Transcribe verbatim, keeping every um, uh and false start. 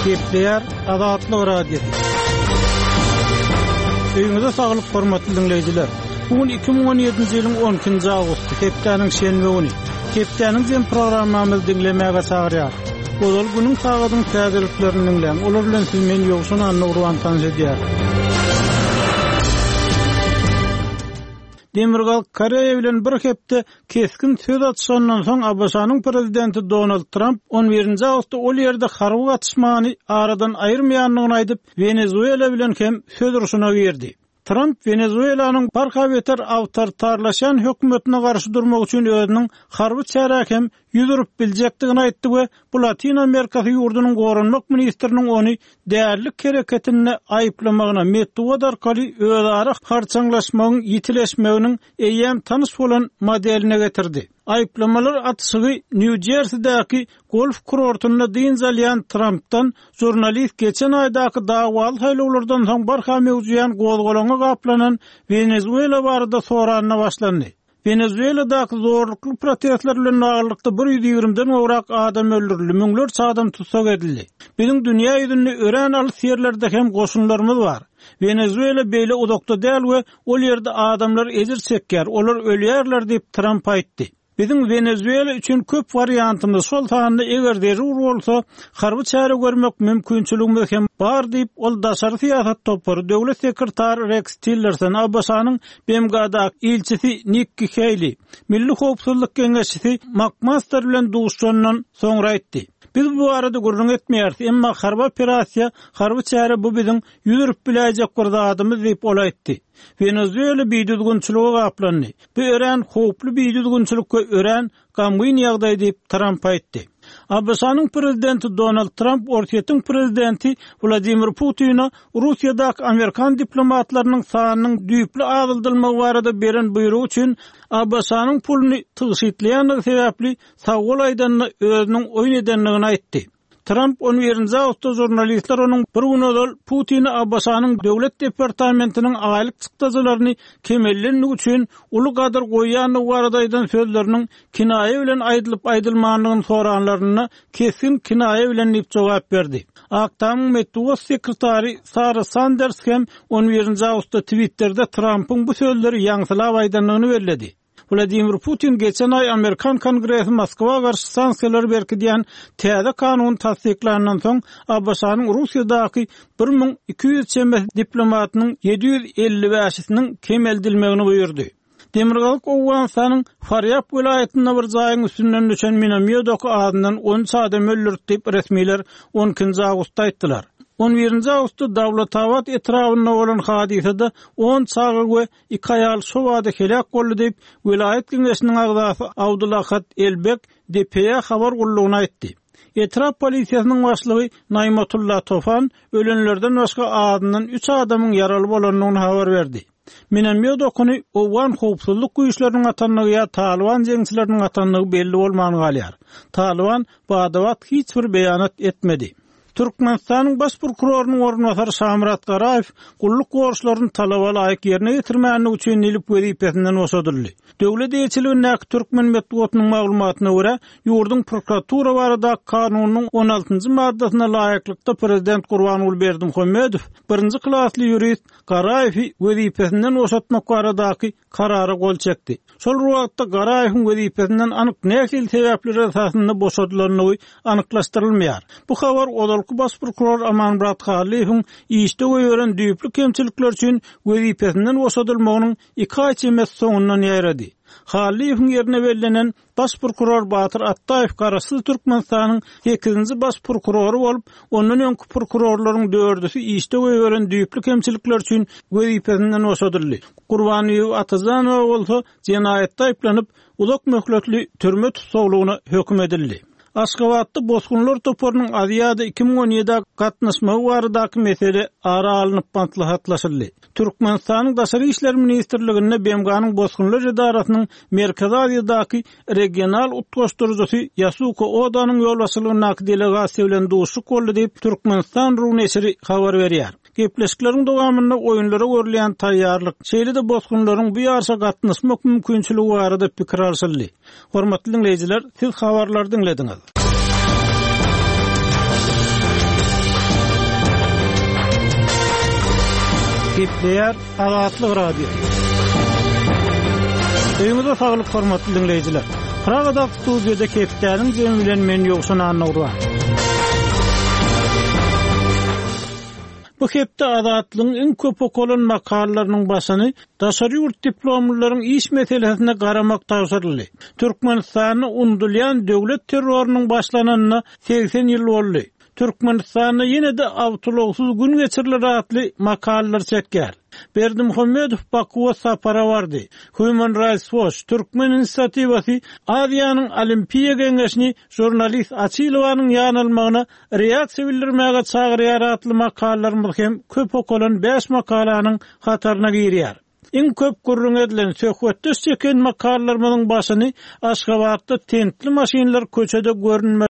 Gepleýär Azatlyk Radiosy. Öýüňize saglyk hormatly diňleýjiler. Bu gün iki müň on ýedinji ýylyň on ikinji awgusty, hepdäniň şenbe güni. Hepdäniň jem programmamyzy diňlemäge çagyrýar. Ozal günüň sagadyň täzeliklerini diňläň. Olar bilen siz men Ýowşan Annagurban tanyş edýär. Demirgazyk Koreýa bilen bir hepde keskin söz atyşandan soň A B Ş-nyň prezidenti Donald Trump on birinji awgustda ol ýerde harby gatyşmany aradan aýyrmaýandygyny aýdyp, Wenezuela bilen hem söz urşuna girdi. Trump Wenezuelanyň barha beter awtoritarlaşan hökümetine garşy durmak üçin özüniň harby çärä hem ýüz urup biljekdigini aýtdy we bu Latin Amerikasy ýurdunyň goranmak ministriniň ony därlik hereketinde aýyplamagyna metbugat arkaly özara harçaňlaşmagyň ýitileşmeginiň eýýäm tanyş bolan modeline getirdi. Aýyplamalar atyşygy New Jersey'däki golf kurortynda dynç alýan Trump'dan jurnalist geçen aýdaky dawwaly saýlawlardan soň barha mewzuýan gozgalaňa gaplanan Wenezuela barada soranyna başlandy. Wenezueladaky zorlukly protestler bilen baglylykda bir ýüz ýigrimden gowrak adam öldürildi, müňlerçe adam tussag edildi. Biziň dünýä ýüzünde örän alys ýerlerde hem goşunlarymyz bar. Wenezuela beýle uzakda däl we ol ýerde adamlar ejir çekýär, olar ölýärler diýip Trump aýtdy. Biziň Wenezuela üçin köp wariantymyz, şol sanda eger zerur bolsa, harby çäre görmek mümkinçiligimiz hem bar diýip, ol daşary syýasat topary döwlet sekretary Rex Tillerson, A B Ş-nyň B M G-daky ilçisi Nikki Haley, Milli Howpsuzlyk Geňeşçisi McMaster bilen duşandan soňra aýtdy. Biz bu barada gürrüň etmeýäris, emma harby operasiýa, harby çäre bu biziň ýüz urup biläýjek bir zadymyz diýip ol aýtdy. Wenezuela bidüzgünçilige gaplandy. Bu örän howply bidüzgünçilik we örän gamgyn ýagdaý diýip Trump aýtdy. A B Ş-nyň prezidenti Donald Trump Orsýetiň prezidenti Wladimir Putina Russiýadaky Amerikan diplomatlarynyň sanynyň düýpli azaldylmagy barada beren buýrugy üçin A B Ş-nyň puluny tygşytlaýandygy sebäpli sag bol aýdanyna özüniň oýun edendigini aýtdy. Trump on birinji awgustda jurnalistler onuň bir gün ozal Putini A B Ş-nyň döwlet departamentiniň aýlyk çykdajylaryny kemeldendigi üçin uly gadyr goýýandygy barada aýdan sözleriniň kinaýa bilen aýdylyp aýdylmandygyny soranlarynda kesgin kinaýa bilen diýip jogap berdi. Ak Tamyň metbugat sekretary Sara Sanders hem on birinji awgustda Twitterde Trumpyň bu sözleri ýaňsylap aýdandygyny belledi. Wladimir Putin geçen aý Amerikan Kongresi Moskwa garşy sanksiýalary berkidýän täze kanun tassyklandan soň A B Ş-nyň Russiýadaky bir müň iki ýüz çemesi diplomatynyň ýedi ýüz elli bäşisiniň kemeldilmegini buýurdy. Demirgazyk Owganystanyň Farýab welaýatynda bir jaýyň üstünden düşen minomýot oky azyndan on üç adam öldürdi diýip resmiler on ikinji awgustda aýtdylar. On birinji awgustda Dawlatabat etrabynda bolan hadysada on çaga we iki aýal şu wada helak boldy diýip welaýat geňeşiniň agzasy Abdulahat Elbek D P A habar gullugyna aýtdy. Etrap polisiýasynyň başlygy Naýmatulla Tofan ölenlerden başga azyndan üç adamyň ýaraly bolandygyny habar berdi. Minomýot okuny Owgan howpsuzlyk güýçleriniň atandygy ýa Taliban jeňçileriniň atandygy belli bolman galýar. Taliban badabat hiç bir beýanat etmedi. Türkmenistanyň baş prokurorynyň orunbasary Şamyrat Garaýew gulluk borçlaryny talaba laýyk ýerine ýetirmänligi üçin nilip wezipesinden boşadyldy. Döwlet eýeçiligindäki Türkmen metbugatynyň maglumatyna görä, ýurduň prokuratura barada kanunynyň on altynjy maddasyna laýyklykda prezident Gurbanguly Berdimuhamedow birinji klasly ýurist Garaýewi wezipesinden boşatmak baradaky karara gol çekdi. Şol wagtda Garaýewiň wezipesinden anyk nähili sebäpler esasynda boşadylandygy anyklaşdyrylmaýar. Bu habar ozalky baş prokuror Amanmyrat Hallyýewiň işde goýberen düýpli kemçilikler üçin wezipesinden boşadylmagynyň iki aý çemesi soňundan ýaýrady. Hallyýewiň ýerine bellenen baş prokuror Batyr Atdaýew Garaşsyz Türkmenistanyň sekizinji baş prokurory bolup, ondan öňki prokurorlaryň dördüsi işde goýberen düýpli kemçilikler üçin wezipesinden boşadyldy. Gurbanbibi Atajanowa bolsa jenaýatda aýyplanyp, uzak möhletli türme tussaglygyna höküm edildi. Aşgabatda bosgunlar toparynyň Aziýada iki müň on ýedi gatnaşmagy baradaky mesele ara alnyp maslahatlaşyldy. Türkmenistanyň Daşary işler ministrliginde B M G-nyň Bosgunlar edarasynyň Merkezi Aziýadaky regional utgaşdyryjysy Ýasuko Odanyň ýolbaşçylygyndaky delegasiýa bilen duşuşyk boldy diýip Türkmenistan Ru neşiri habar berýär. Gepleşikleriň dowamynda oýunlara görülýän taýýarlyk, şeýle-de bosgunlaryň bu ýaryşa gatnaşmak mümkinçiligi barada pikir alşyldy. Hormatly dinleýjiler, siz habarlary diňlediňiz. Gepleýär Azatlyk Radiosy. Öýüňize saglyk hormatly diňleýjiler. Pragada studiýada hepdäniň jemi bilen men Ýowşan Annagurban. Bu hepde Azatlygyň iň köp okalan makalalarynyň başyny daşary ýurt diplomlylaryň iş meselesine garamak tabşyryldy. Türkmenistanda unudylýan döwlet terrorynyň başlananyna segsen ýyl boldy. Türkmenistanda ýene-de awtoulagsyz gün geçiriler atly makalalar çekýär. Berdimuhamedow Bakuwa sapara bardy. Human Rights Watch Türkmen inisiatiwasy Aziýanyň Olimpiýa Geňeşini žurnalist Açylowanyň ýanalmagyna reaksiýa bildirmäge çagyrýar atly makalalarymyz hem köp okalan bäş makalanyň hataryna girýär. Iň köp gürrüň edilen, söhbetdeş çeken makalalarymyzyň başyny Aşgabatda tentli maşynlar köçede görünmez